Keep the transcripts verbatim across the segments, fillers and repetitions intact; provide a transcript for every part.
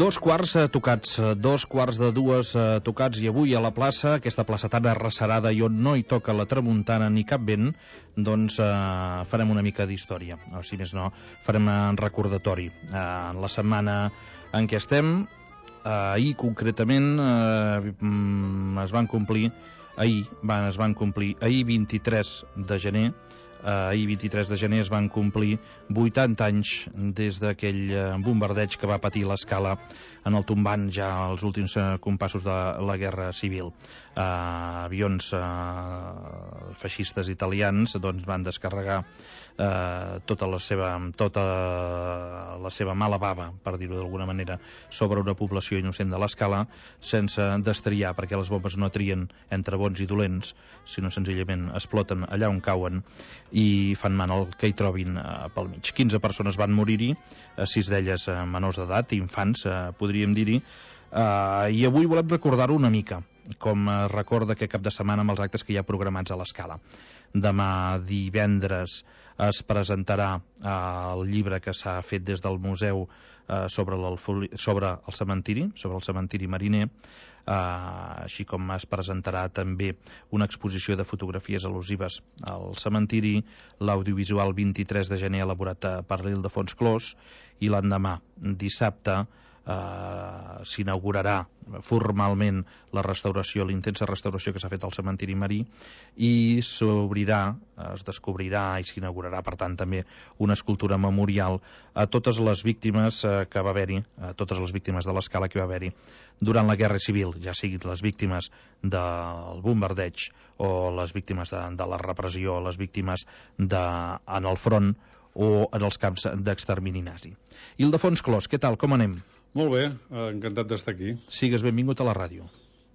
Dos quarts eh, tocats, dos quarts de dues eh, tocats, i avui a la plaça, aquesta plaça tan arrecerada i on no hi toca la tramuntana ni cap vent, doncs eh, farem una mica d'història, o si més no, farem un recordatori. Eh, en la setmana en què estem, eh, ahir concretament eh, es van complir, ahir van, es van complir, ahir vint-i-tres de gener, Eh, ahir vint-i-tres de gener es van complir vuitanta anys des d'aquell eh, bombardeig que va patir l'Escala en el tombant ja als últims eh, compassos de la Guerra Civil. Eh, avions eh, feixistes italians doncs, van descarregar eh, tota la seva tota la seva mala bava, per dir-ho d'alguna manera, sobre una població innocent de l'Escala, sense destriar, perquè les bombes no trien entre bons i dolents, sinó senzillament exploten allà on cauen i fan man el que hi trobin eh, pel mig. quinze persones van morir-hi, eh, sis d'elles eh, menors d'edat, infants, eh, podríem dir-hi, eh, i avui volem recordar-ho una mica, com es recorda aquest cap de setmana amb els actes que hi ha programats a l'Escala. Demà divendres es presentarà eh, el llibre que s'ha fet des del museu eh, sobre, sobre el cementiri, sobre el cementiri mariner, Uh, així com es presentarà també una exposició de fotografies al·lusives al cementiri, l'audiovisual vint-i-tres de gener elaborat per l'Ildefons Clos, i l'endemà, dissabte, Uh, s'inaugurarà formalment la restauració, l'intensa restauració que s'ha fet al cementiri marí, i s'obrirà, es descobrirà i s'inaugurarà, per tant, també una escultura memorial a totes les víctimes uh, que va haver-hi, a totes les víctimes de l'Escala que va haver-hi durant la Guerra Civil, ja siguin les víctimes del bombardeig o les víctimes de, de la repressió, les víctimes de, en el front o en els camps d'extermini nazi. Ildefons Clos, què tal, com anem? Molt bé, encantat d'estar aquí. Sigues benvingut a la ràdio.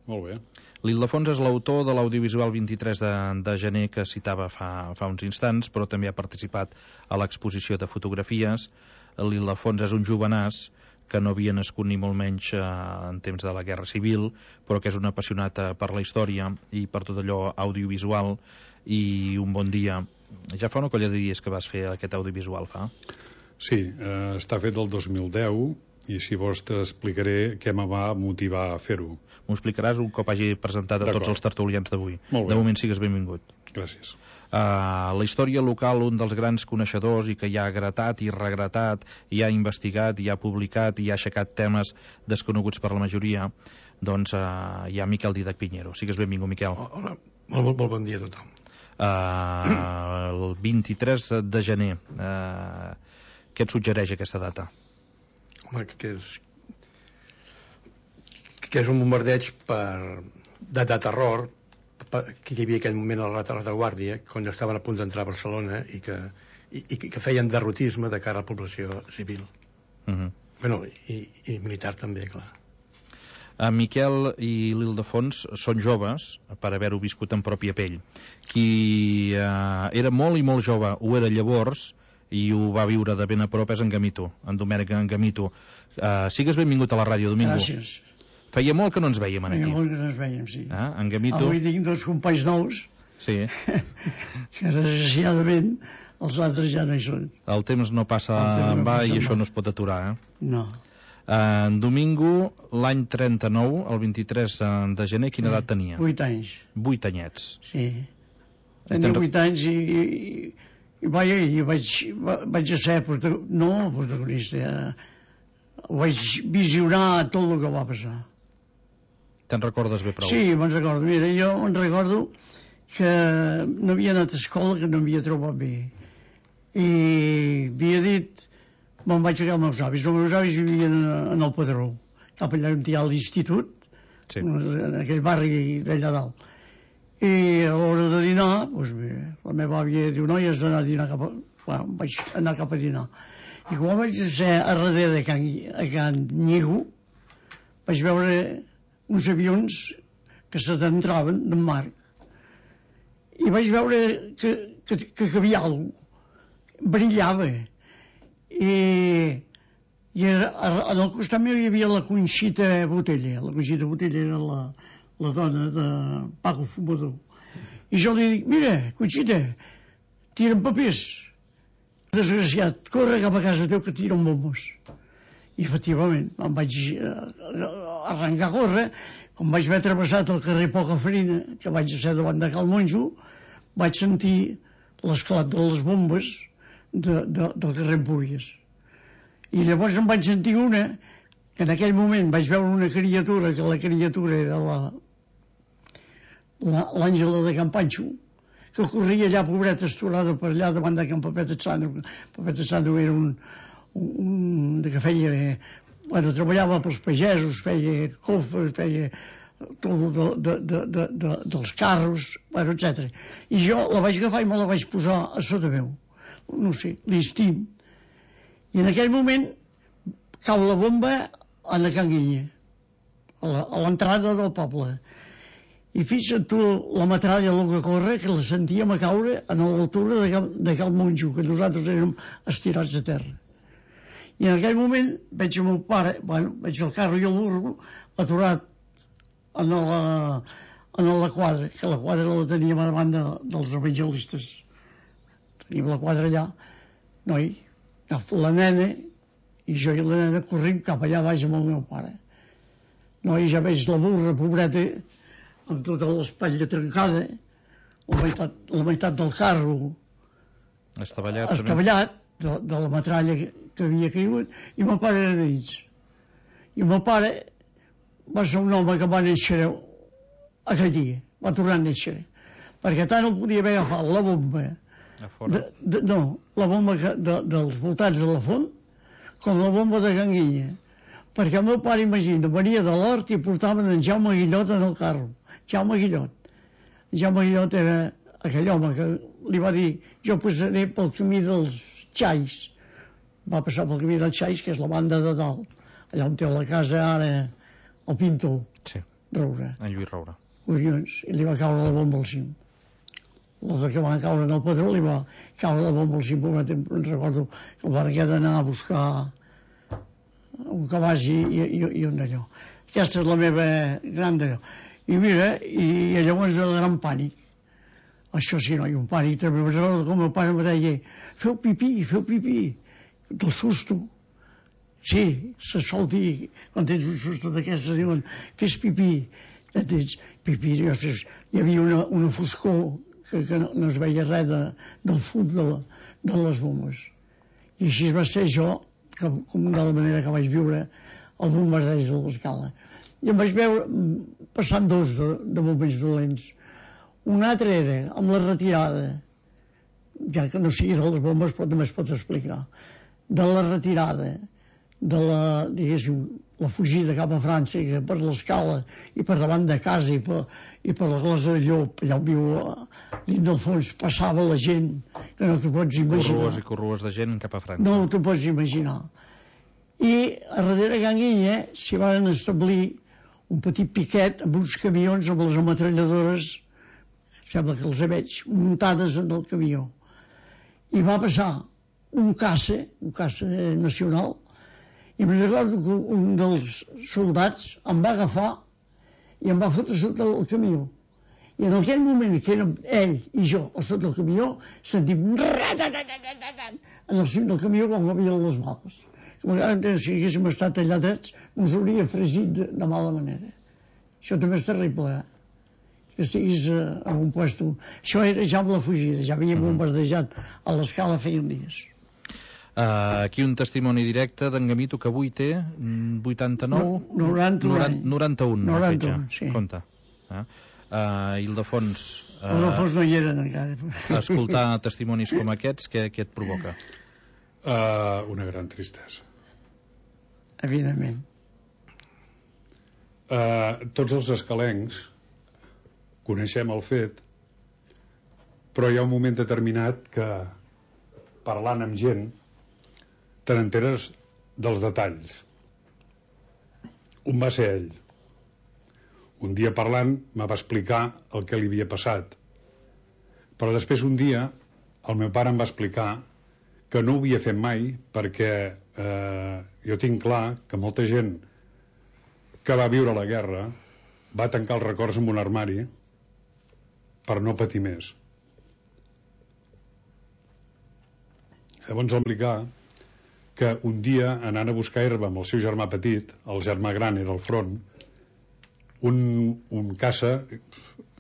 Molt bé. L'Ildefons és l'autor de l'audiovisual vint-i-tres de, de gener que citava fa, fa uns instants, però també ha participat a l'exposició de fotografies. L'Ildefons és un jovenàs que no havia nascut ni molt menys eh, en temps de la Guerra Civil, però que és un apassionat eh, per la història i per tot allò audiovisual, i un bon dia, ja fa una colla de dies que vas fer aquest audiovisual, fa? Sí, eh, està fet el dos mil deu, i si vols t'explicaré què me va motivar a fer-ho. M'ho explicaràs un cop hagi presentat a tots els tertulians d'avui. De moment sigues benvingut. Gràcies. Uh, la història local, un dels grans coneixedors i que ja ha gratat i regratat, i ha investigat, i ha publicat, i ha aixecat temes desconeguts per la majoria, doncs uh, hi ha Miquel Didac Piñero. Sigues benvingut, Miquel. Hola, molt, molt bon dia a tothom. Uh, el vint-i-tres de gener, uh, què et suggereix aquesta data? Home, que és que és un bombardeig per, de, de terror per, que hi havia en aquell moment a la retaguardia quan estaven a punt d'entrar a Barcelona i que, i, i que feien derrotisme de cara a la població civil. Uh -huh. Bueno, i, i militar també, clar. En Miquel i l'Ildefons són joves per haver-ho viscut en pròpia pell. Qui eh, era molt i molt jove ho era llavors i ho va viure de ben a prop és en Gamito, en Domènec en Gamito. Uh, sigues benvingut a la ràdio, Domingo. Gràcies. Feia molt que no ens veiem aquí. Feia molt que no ens veiem, sí. Ah, en Gamito... Avui tinc dos companys nous, sí. que desgraciadament els altres ja no hi són. El temps no passa en va i això no es pot aturar, eh? No. Uh, en Domingo, l'any trenta-nou, el vint-i-tres de gener, quina edat tenia? Vuit anys. Vuit anyets. Sí. Tenia vuit anys i... i I vaja, jo vaig, vaig ser protagonista, no protagonista, eh? Ho vaig visionar tot el que va passar. Te'n recordes bé prou? Sí, me'n recordo. Mira, jo me'n recordo que no havia anat a escola, que no havia trobat bé. I havia dit, me'n vaig ficar amb els avis. Els meus avis vivien en el Padró, cap allà on hi ha l'institut, sí, en aquell barri d'allà dalt. I a l'hora de dinar, doncs, la meva àvia diu, noi, has d'anar a dinar cap a... Bueno, vaig anar cap a dinar. I quan vaig ser a darrere de Can, a Can Lligo, vaig veure uns avions que se t'entraven del mar. I vaig veure que, que, que hi havia alguna cosa. Brillava. I, i en el costat meu hi havia la Conxita Botella. La Conxita Botella era la, la dona de Paco Fumador. I jo li dic, mira, Conxita, tira'n papers. Desgraciat, corre cap a casa teu que tiren bombes. I efectivament em vaig arrencar a córrer. Com vaig haver travessat el carrer Poca Farina, que vaig ser davant de Cal Monjo, vaig sentir l'esclat de les bombes de, de, del carrer Empúries. I llavors em vaig sentir una, que en aquell moment vaig veure una criatura, que la criatura era la l'Àngela de Can Panxo, que corria allà, pobreta, estorada per allà davant de Can Papet Sandro. Papet Sandro era un, un que feia, bueno, treballava pels pagesos, feia cofres, feia tot de, de, de, de, de, dels carros, bueno, etcètera. I jo la vaig agafar i me la vaig posar a sota meu, no sé, l'instint. I en aquell moment cau la bomba a la Can Guinya, a l'entrada del poble. I fixa't tu la metralla, el que corre, que la sentíem a caure a l'altura de, de Cal Monjo, que nosaltres érem estirats a terra. I en aquell moment veig el meu pare, bueno, veig el carro i el burro aturat en la, en la quadra, que la quadra la teníem a davant de, dels evangelistes. Teníem la quadra allà, noi, la nena, i jo i la nena corrim cap allà baix amb el meu pare. Noi, ja veig la burra, pobreta, amb tota l'espatlla trencada, la meitat, la meitat del carro estavellat, estavellat de, de la metralla que, que havia caigut, i el meu pare era d'ells. I el meu pare va ser un home que va néixer aquell dia, va tornar a néixer, perquè tant el podia haver agafat la bomba, de, de, no, la bomba que, de, dels voltants de la font, com la bomba de Can Guinya, perquè el meu pare, imagina, venia de l'hort i portaven en Jaume Guillot en el carro. Jaume Guillot. Jaume Guillot era aquell home que li va dir, jo passaré pel camí dels Xais. Va passar pel camí dels Xais, que és la banda de dalt, allà on té la casa ara el pintor. Sí. Roura. En Lluís Roura. Collons, i li va caure la bomba al cim. La de que van caure en el Padró li va caure la bomba al cim. Em recordo que el van haver d'anar a buscar un cabàs i, i, i un d'allò. Aquesta és la meva gran d'allò. I mira, i llavors el gran pànic. Això sí, no, i un pànic també. Com el pare em deia, feu pipí, feu pipí, del susto. Sí, se sol dir, quan tens un susto d'aquestes, diuen, fes pipí. Ja tens pipí, ostres, hi havia una, una foscor que, que no, no es veia res de, del fum de, la, de les bombes. I així va ser jo, que, com de la manera que vaig viure el bombardeig de l'Escala. I em vaig veure passant dos de, de moments dolents. Un altre era amb la retirada, ja que no sigui de les bombes, però també es pot explicar, de la retirada, de la, diguéssim, la fugida cap a França, que per l'Escala i per davant de casa i per, i per la Glosa de Llop, allà on viu dins del fons, passava la gent que no t'ho pots imaginar. Corrues i corrues de gent cap a França. No t'ho pots imaginar. I a darrere Can Guinya s'hi van establir un petit piquet amb uns camions amb les ametralladores, sembla que els veig, muntades en el camió. I va passar un caça, un caça nacional, i em recordo que un dels soldats em va agafar i em va fotre sota el camió. I en aquell moment que érem ell i jo a sota el camió, sentim en el cim del camió com havia les bales. Si haguéssim estat allà drets, ens hauria fregit de, de mala manera. Això també és terrible, eh? Que estiguis eh, en un puesto. Això era ja amb la fugida, ja havíem bombardejat a l'Escala feia dies. Uh, aquí un testimoni directe d'en Gamito, que avui té vuitanta-nou... No, noranta-un. noranta-un. noranta-un, sí. Compte. Uh, uh, Ildefons... Uh, Ildefons no hi eren encara. Escoltar testimonis com aquests, què, què et provoca? Uh, una gran tristesa. Evidentment. Uh, tots els escalencs coneixem el fet, però hi ha un moment determinat que, parlant amb gent, te n'enteres dels detalls. Un va ser ell. Un dia parlant me va explicar el que li havia passat, però després un dia el meu pare em va explicar que no ho havia fet mai perquè eh, jo tinc clar que molta gent que va viure la guerra va tancar els records en un armari per no patir més. Llavors va explicar que un dia, anant a buscar herba amb el seu germà petit, el germà gran era al front, un, un caça,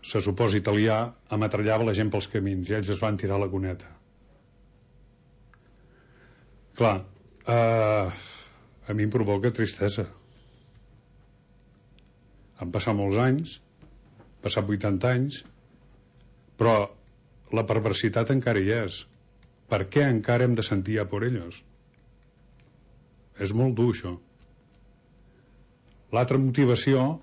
se suposa italià, ametrallava la gent pels camins i ells es van tirar a la cuneta. Clar, eh, a mi em provoca tristesa. Han passat molts anys, han passat vuitanta anys, però la perversitat encara hi és. Per què encara hem de sentir a por ellos? És molt dur, això. L'altra motivació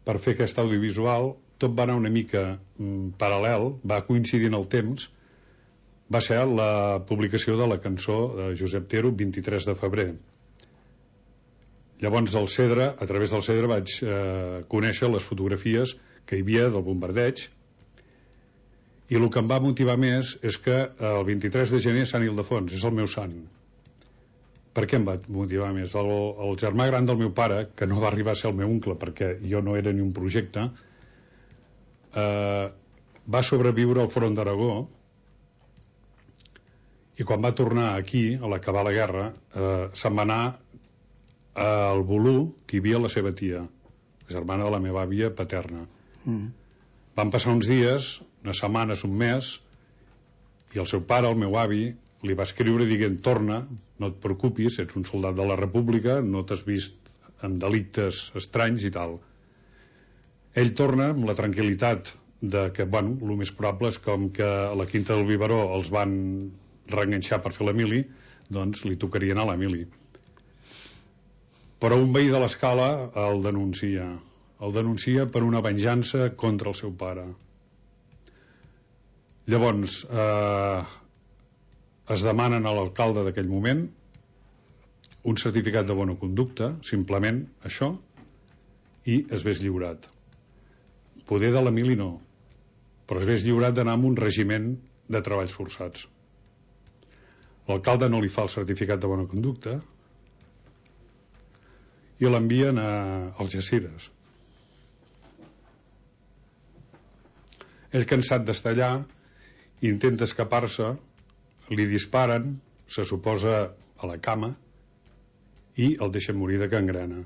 per fer aquest audiovisual, tot va anar una mica mm, paral·lel, va coincidir en el temps, va ser la publicació de la cançó de Josep Tero, vint-i-tres de febrer. Llavors, al Cedre, a través del Cedre, vaig eh, conèixer les fotografies que hi havia del bombardeig, i el que em va motivar més és que el vint-i-tres de gener Sant Ildefons és el meu sant. Per què em va motivar més? El, el germà gran del meu pare, que no va arribar a ser el meu oncle perquè jo no era ni un projecte, eh, va sobreviure al front d'Aragó, i quan va tornar aquí, a l'acabar la guerra, eh, se'n va anar al Bolú, que hi havia la seva tia, la germana de la meva àvia paterna. Mm. Van passar uns dies, unes setmanes, un mes, i el seu pare, el meu avi, li va escriure dient: torna, no et preocupis, ets un soldat de la República, no t'has vist en delictes estranys i tal. Ell torna amb la tranquil·litat de que, bueno, el més probable és com que a la Quinta del Biberó els van reenganxar per fer la mili, doncs li tocaria anar a la mili. Però un veí de l'Escala el denuncia. El denuncia per una venjança contra el seu pare. Llavors, eh, es demanen a l'alcalde d'aquell moment un certificat de bona conducta, simplement això, i es vés lliurat. Poder de la mili no, però es vés lliurat d'anar amb un regiment de treballs forçats. L'alcalde no li fa el certificat de bona conducta i l'envien a Algeciras. Ell, cansat d'estar allà, intenta escapar-se, li disparen, se suposa a la cama, i el deixen morir de gangrena.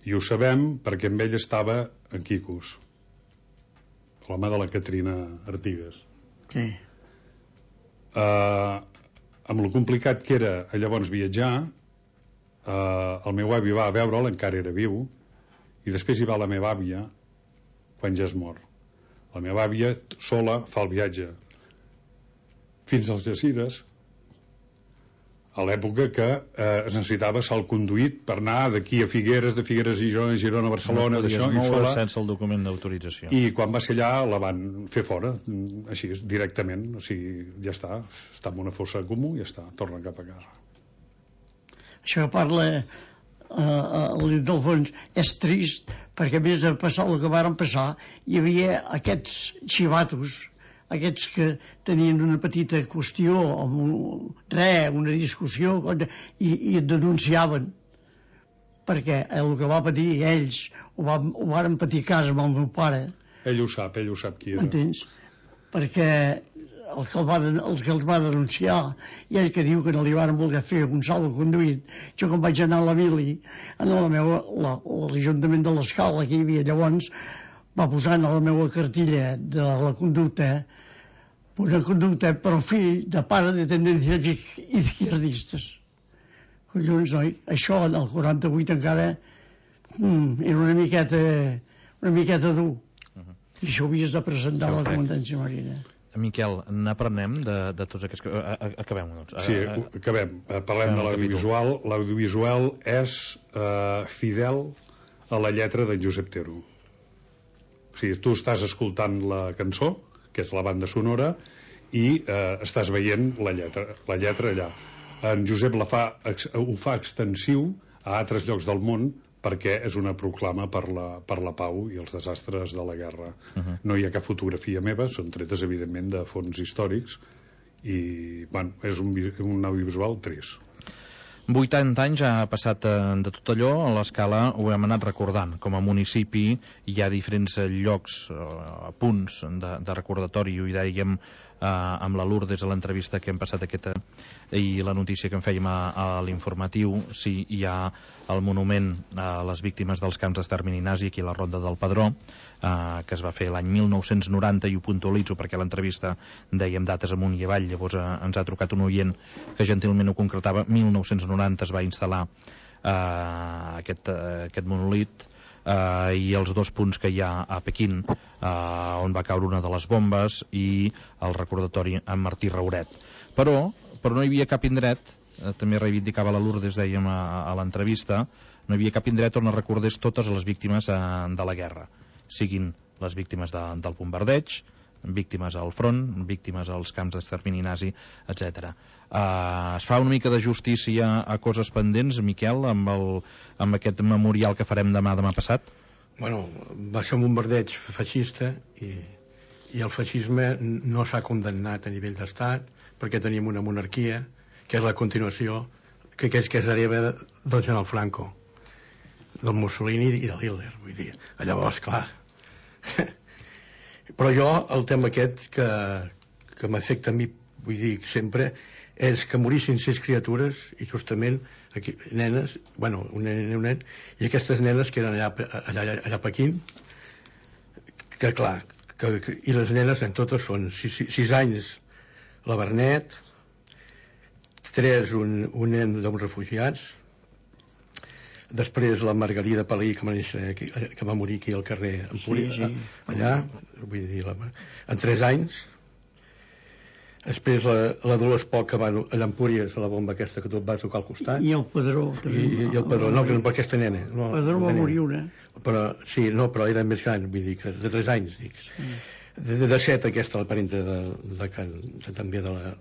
I ho sabem perquè amb ell estava en Quicos, l'home de la Catrina Artigas. Sí. Uh, amb lo complicat que era llavors viatjar, uh, el meu avi va a veure'l, encara era viu, i després hi va la meva àvia quan ja es mor. La meva àvia sola fa el viatge fins als Algeciras, a l'època que eh, es necessitava salt conduït per anar d'aquí a Figueres, de Figueres a Girona, Girona a Barcelona, no d'això, i sola, sense el el document d'autorització. I quan va ser allà la van fer fora, així, directament, o sigui, ja està, està en una fossa comú i ja està, torna cap a casa. Això que parla eh, a l'Ildefons és trist, perquè a més de passar el que varen passar, hi havia aquests xivatos, aquests que tenien una petita qüestió, amb un, res, una discussió, i, i et denunciaven. Perquè el que va patir ells, ho, va, ho varen patir a casa amb el meu pare. Ell ho sap, ell ho sap qui era. Entens? Perquè el que el va, els que els va denunciar, i ell que diu que no li van voler fer un salvo conduït, jo quan vaig anar a la mili, a l'Ajuntament de l'Escala, que hi havia llavors, va posar a la meva cartilla de la conducta una conducta per fill de pare de tendències izquierdistes. Collons, noi, això en el quaranta-vuit encara mm, era una miqueta una miqueta dur. Uh-huh. I això ho havies de presentar a la comandància marina. Miquel, n'aprenem de, de tots aquests... Acabem, doncs. Sí, acabem. Parlem de l'audiovisual. L'audiovisual és eh, fidel a la lletra de Josep Tero. O sigui, tu estàs escoltant la cançó, que és la banda sonora, i eh, estàs veient la lletra, la lletra allà. En Josep la fa, ho fa extensiu a altres llocs del món perquè és una proclama per la, per la pau i els desastres de la guerra. Uh-huh. No hi ha cap fotografia meva, són tretes, evidentment, de fons històrics, i bueno, és un, un audiovisual trist. vuitanta anys ha passat de tot allò, a l'Escala ho hem anat recordant. Com a municipi hi ha diferents llocs, eh, punts de, de recordatori, ho hi dèiem eh, amb la Lourdes a l'entrevista que hem passat aquesta i la notícia que en fèiem a, a l'informatiu. Sí, hi ha el monument a les víctimes dels camps d'extermini nazi aquí a la Ronda del Pedró, eh, que es va fer l'any mil nou-cents noranta, i ho puntualitzo perquè a l'entrevista dèiem dates amunt i avall. Llavors eh, ens ha trucat un oient que gentilment ho concretava. mil nou-cents noranta es va instal·lar eh, aquest, eh, aquest monolit, eh, i els dos punts que hi ha a Pequín, eh, on va caure una de les bombes, i el recordatori amb Martí Rauret. Però, però no hi havia cap indret, eh, també reivindicava la Lourdes, dèiem a, a l'entrevista, no hi havia cap indret on es recordés totes les víctimes eh, de la guerra, siguin les víctimes de, del bombardeig, víctimes al front, víctimes als camps d'extermini nazi, etcètera. Uh, es fa una mica de justícia a coses pendents, Miquel, amb, el, amb aquest memorial que farem demà demà passat? Bueno, va ser un bombardeig feixista i, i el feixisme no s'ha condemnat a nivell d'estat perquè tenim una monarquia que és la continuació que, que, és, que és hereva del general Franco, del Mussolini i de Hitler, vull dir. Llavors, clar... Però jo, el tema aquest que, que m'afecta a mi, vull dir, sempre, és que morissin sis criatures i justament aquí, nenes, bueno, un nen i un nen, i aquestes nenes que eren allà, allà, allà a Pequín, que clar, que, que, i les nenes en totes són sis, sis anys la Bernet, tres un, un nen d'uns refugiats, després la Margarida Palí, que va, néixer, que, que va morir aquí al carrer Empúries, sí, sí. allà, vull dir, la, en tres anys. Després la, la Dolors Poc, que va allà a Empúries, a la bomba aquesta que tu vas tocar al costat. I el Pedró. I, i el Pedró, no, que no per aquesta nena. No, el Pedró va morir una. Però, sí, no, però era més gran, vull dir, que de tres anys, dic. Mm. De, de, de set, aquesta, la parenta de, de, de, de, també de la...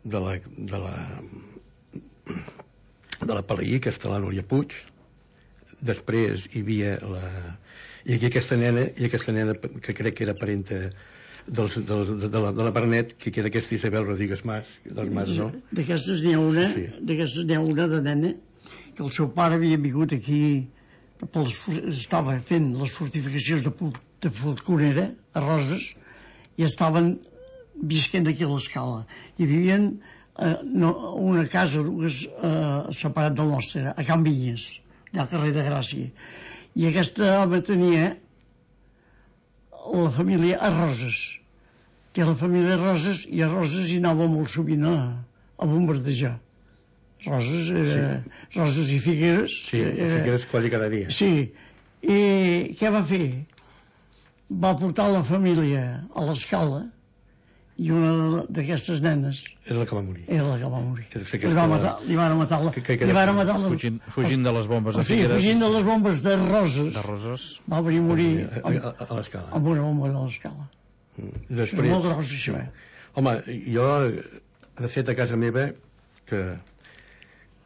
de la... de la de la Palaí, que està la Núria Puig. Després hi havia la... i aquí aquesta nena, i aquesta nena que crec que era parenta dels, dels, de, la, de la Bernet, que era aquesta Isabel Rodríguez Mas, dels Mas, no? D'aquestes n'hi ha una, sí. D'aquestes n'hi ha una de nena, que el seu pare havia vingut aquí, pels, estava fent les fortificacions de, de Falconera, a Roses, i estaven visquent aquí a l'Escala. I vivien Uh, no, una casa dues, uh, separat del nostre, a Can Vinyes, allà al carrer de Gràcia. I aquesta home tenia la família a Roses, que la família a Roses, i a Roses hi anava molt sovint a, a bombardejar. Roses, era, sí. Roses i Figueres. Sí, era, Figueres quasi cada dia. Sí. I què va fer? Va portar la família a l'Escala, i una d'aquestes nenes era la que va morir. Era la que va morir. Que que va matar, li van matar la... Que, que, que li van matar la... Fugint, fugint de les bombes de o sigui, Figueres. Fugint de les bombes de Roses. De Roses. Va venir a morir a, a, a, a l'Escala. Amb una bomba de l'Escala. Mm. Després... És molt gros, això, eh? Home, jo, de fet, a casa meva, que,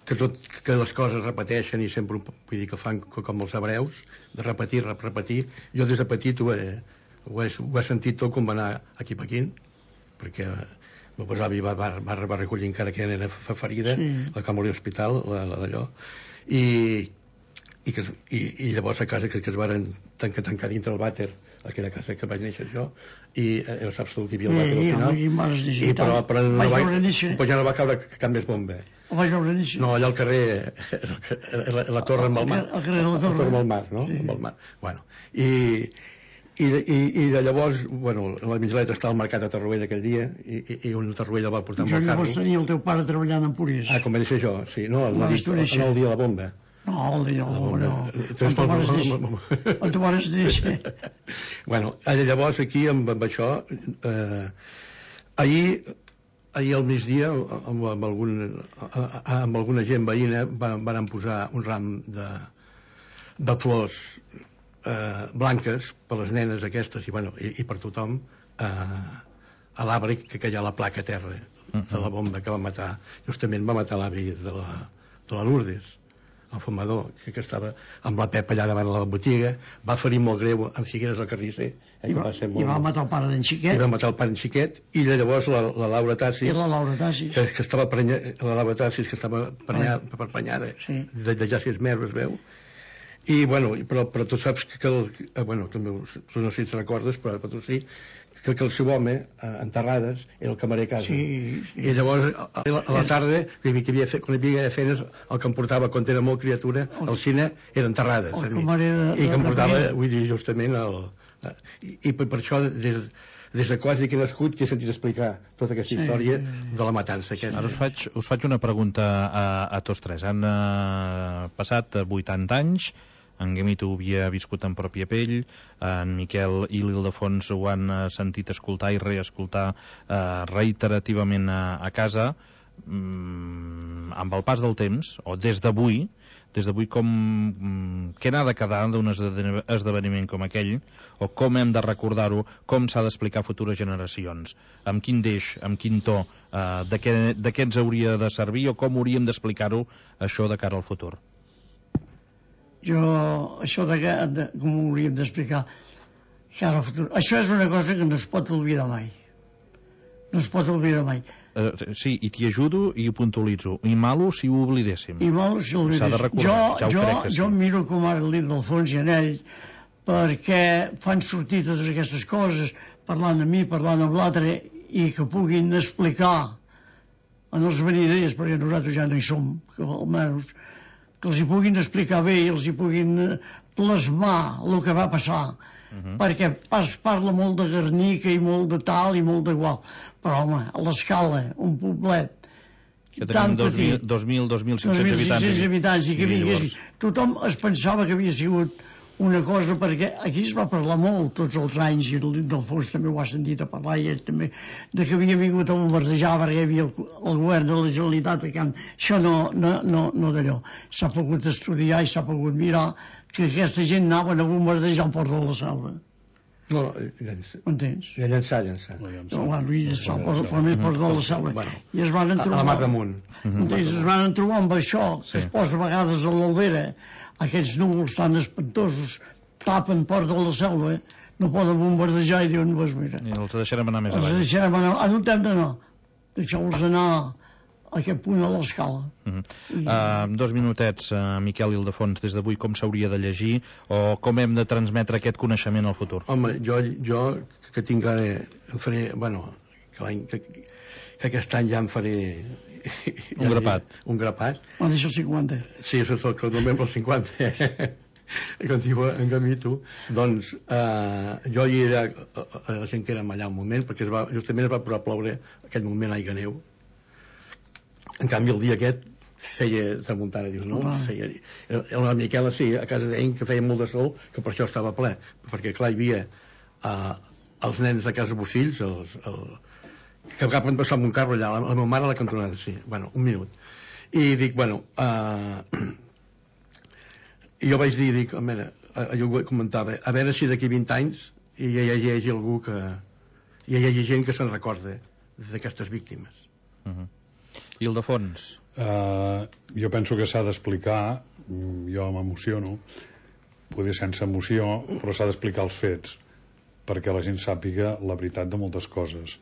que, tot, que les coses repeteixen i sempre, vull dir, que fan com els hebreus, de repetir, repetir. Jo des de petit ho he, ho he, ho he sentit tot com va anar aquí a Pequín, perquè el meu avi va, va, va, va recollir encara que era ferida, sí. La que va morir a l'hospital, la, la d'allò, i, i, que, i, i llavors a casa que, que es van tancar, tancar dintre el vàter, aquella casa que vaig néixer jo, i eh, saps tu que hi havia el vàter al final, i, i, però, però no va, però ja no va caure cap més bomba. El vaig veure néixer. No, allà al carrer, la, la torre amb el mar. Al carrer de la torre. La torre amb el mar, no? Sí. Amb el mar. Bueno, i... I, i, i de llavors, bueno, la mitjaleta estava al mercat de Torroella aquell dia i, i, i un Torroella el va portar amb el carro. Llavors tenia el teu pare treballant en Purés. Ah, com va néixer jo, sí, no, el, el, el, el dia de la bomba. No, el dia de la bomba, no. On te pares néixer? On te pares néixer? Bueno, llavors aquí amb, amb això, eh, ahir, ahir al migdia, amb, amb, algun, amb alguna gent veïna, van, van posar un ram de, de flors Eh, blanques per les nenes aquestes i, bueno, i, i per tothom eh, a l'arbre que, que hi ha la placa a terra de la bomba que va matar, justament va matar l'avi de la, de la Lourdes, el fumador, que, que estava amb la Pepa allà davant de la botiga, va ferir molt greu amb Figueres el carnisser, eh, I, va, va ser molt, i va matar el pare d'en Xiquet. I va matar el pare d'en Xiquet, i llavors la, la Laura Tassis, I la Laura Tassis. que, que estava prenya, la Laura Tassis, que estava prenyada, ah. prenyada sí. de, de ja sis mesos, es veu. I, bueno, però, però tu saps que, que el, eh, bueno, tu no, tu no sé si te recordes, però, però tu sí, que, que el seu home, eh, enterrades, era el camarer a casa. Sí, sí. I llavors, a, a la tarda, que hi havia, quan hi havia feines, el que em portava, quan era molt criatura, al cine, era enterrades. El camarer de, I que em portava, vull dir, justament, el, i, i per, per això, des, des de quasi que he nascut, que he sentit explicar tota aquesta història sí. de la matança. Aquesta. Ara us faig, us faig una pregunta a, a tots tres. Han uh, passat vuitanta anys, en Guimito ho havia viscut en pròpia pell, en Miquel i l'Ildefons ho han sentit escoltar i reescoltar eh, reiterativament a, a casa. Mm, amb el pas del temps, o des d'avui, des d'avui com mm, què n'ha de quedar d'un esdeveniment com aquell, o com hem de recordar-ho, com s'ha d'explicar a futures generacions, amb quin deix, amb quin to, eh, de, què, de què ens hauria de servir, o com hauríem d'explicar-ho això de cara al futur. Jo, això de, de com ho hauríem d'explicar cara al futur, això és una cosa que no es pot oblidar mai, no es pot oblidar mai. Uh, sí, i t'hi ajudo i ho puntualitzo. I malo si ho oblidéssim. I malo si ho oblidéssim. S'ha de recordar, jo, ja ho jo, crec que sí. Jo miro com ara l'Ildefons i en ell, perquè fan sortir totes aquestes coses, parlant amb mi, parlant amb l'altre, i que puguin explicar en els veniders, perquè nosaltres ja no hi som, que almenys, que els hi puguin explicar bé i els hi puguin plasmar el que va passar. Uh-huh. Perquè es parla molt de Guernica i molt de tal i molt d'igual, però home, a l'escala, un poblet que tenim dos mil, dos mil cinc-cents habitants, habitants i que vingués, tothom es pensava que havia sigut una cosa, perquè aquí es va parlar molt tots els anys, i l'Ildefons també ho ha sentit a parlar, i ell també, de que havia vingut a bombardejar perquè hi havia el, el govern de la Generalitat a Camp. Això no, no, no, no d'allò. S'ha pogut estudiar i s'ha pogut mirar que aquesta gent anaven a bombardejar el port de la Selva. No, llançar. Entens? I a llançar, llançar. No, bueno, i llançar el port de la Selva. Bueno, I es van trobar... A la mar damunt. Entens? Es van trobar amb això, que es posa a vegades a l'Albera, aquests núvols tan espantosos tapen Port de la Selva, no poden bombardejar i diuen, pues mira, i els deixarem anar més els avall. deixarem anar, a no hem d'anar, deixeu-los anar a aquest punt a l'escala. Uh -huh. I... uh, dos minutets, uh, Miquel Ildefons, des d'avui com s'hauria de llegir o com hem de transmetre aquest coneixement al futur? Home, jo, jo que tinc ara em faré, bueno, que, l'any, que, que aquest any ja em faré un grapat. Un grapat. On deixo el cinquanta. Sí, això és el que només el cinquanta. Com diu en Gamito. Doncs eh, jo hi era a la gent que érem allà un moment, perquè es va, justament es va posar a ploure aquell moment aigua neu. En canvi, el dia aquest feia tramuntana, dius, no? Ah. Feia, el Miquel, sí, a casa d'ell, que feia molt de sol, que per això estava ple, perquè clar, hi havia eh, els nens de casa Bocills, els, el, que cap van passar amb un carro allà, la, la meva mare a la cantonada, sí, bueno, un minut. I dic, bueno, eh, i jo vaig dir, dic, a veure, jo comentava, a veure si d'aquí vint anys hi hagi algú que... hi hagi gent que se'n recorda d'aquestes víctimes. Uh -huh. I el de fons? Uh, jo penso que s'ha d'explicar, jo m'emociono, poder sense emoció, però s'ha d'explicar els fets, perquè la gent sàpiga la veritat de moltes coses.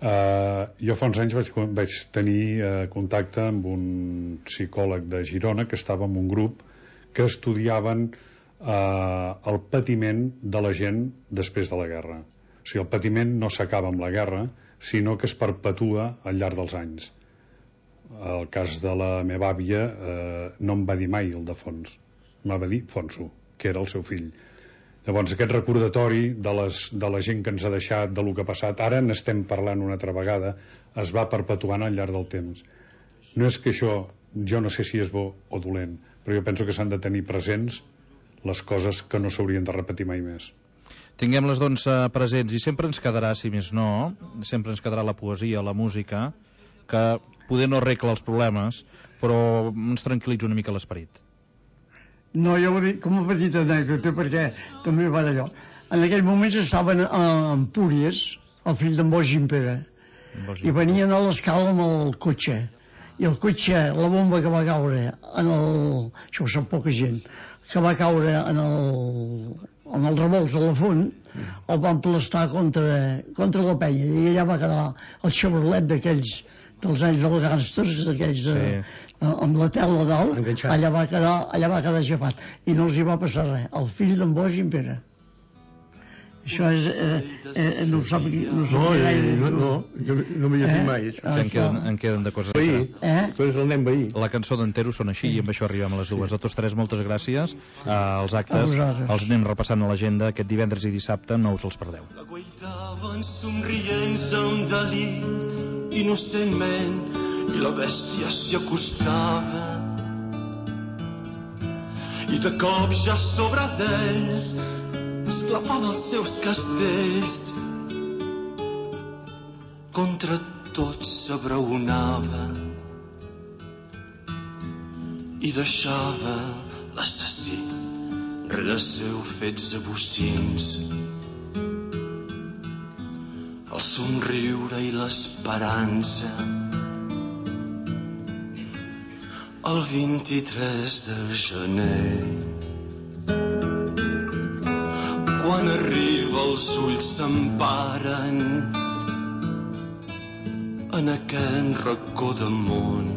Uh, jo fa uns anys vaig, vaig tenir uh, contacte amb un psicòleg de Girona que estava en un grup que estudiaven uh, el patiment de la gent després de la guerra. O sigui, el patiment no s'acaba amb la guerra, sinó que es perpetua al llarg dels anys. El cas de la meva àvia eh, no em va dir mai el de Fons, em va dir Fonso, que era el seu fill. Llavors aquest recordatori de, les, de la gent que ens ha deixat, de lo que ha passat, ara n'estem parlant una altra vegada, es va perpetuant al llarg del temps. No és que això, jo no sé si és bo o dolent, però jo penso que s'han de tenir presents les coses que no s'haurien de repetir mai més. Tinguem-les doncs presents, i sempre ens quedarà, si més no, sempre ens quedarà la poesia, la música, que poder no arregla els problemes, però ens tranquil·litza una mica l'esperit. No, jo ho dic com a petita anècdota, perquè també va d'allò. En aquell moment estaven a Empúries, el fill d'en Boix Gimpera, i venien a l'escala amb el cotxe, i el cotxe, la bomba que va caure en el... això ho sap poca gent, que va caure en el, en el revolts de la font, el van aplastar contra, contra la penya, i allà va quedar el Chevrolet d'aquells dels anys dels gàngsters, d'aquells de, sí. amb la tela dalt, enganxat. allà va quedar allà va quedar aixafat, i no els hi va passar res, el fill d'en Boix i en Pere. Això és eh, eh, no ho sap no, no, gaire, no, no, jo no m'hi he fet mai això. En, queden, en queden de coses veí, eh? Tu eres el nen veí. La cançó d'Entero són així, i amb això arribem a les dues. A tots tres, moltes gràcies. Uh, els actes els anem repassant a l'agenda aquest divendres i dissabte, no us els perdeu. La guaitaven somrient amb delit innocentment, i la bèstia s'hi acostava, i de cop ja sobre d'ells esclafava els seus castells, contra tot s'abraonava i deixava l'assassí rere seu fets abocins. El somriure i l'esperança, el vint-i-tres de gener, quan arriba els ulls s'emparen en aquest racó de món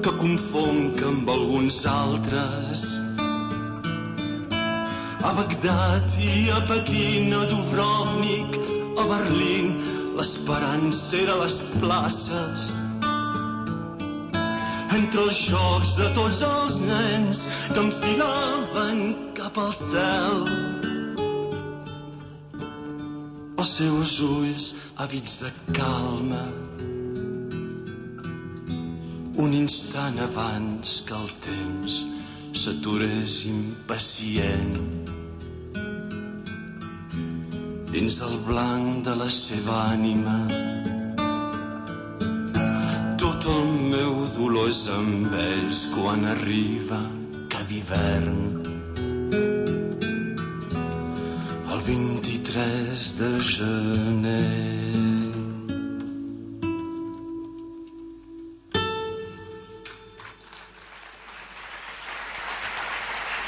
que confonc amb alguns altres. A Bagdad i a Pequín, a Dubrovnik, a Berlín, l'esperança era a les places, entre els jocs de tots els nens que enfilaven cap al cel. Els seus ulls àvids de calma, un instant abans que el temps s'aturés impacient dins el blanc de la seva ànima. Tot el meu dolor és amb ells quan arriba cada hivern. El vint-i-tres de gener.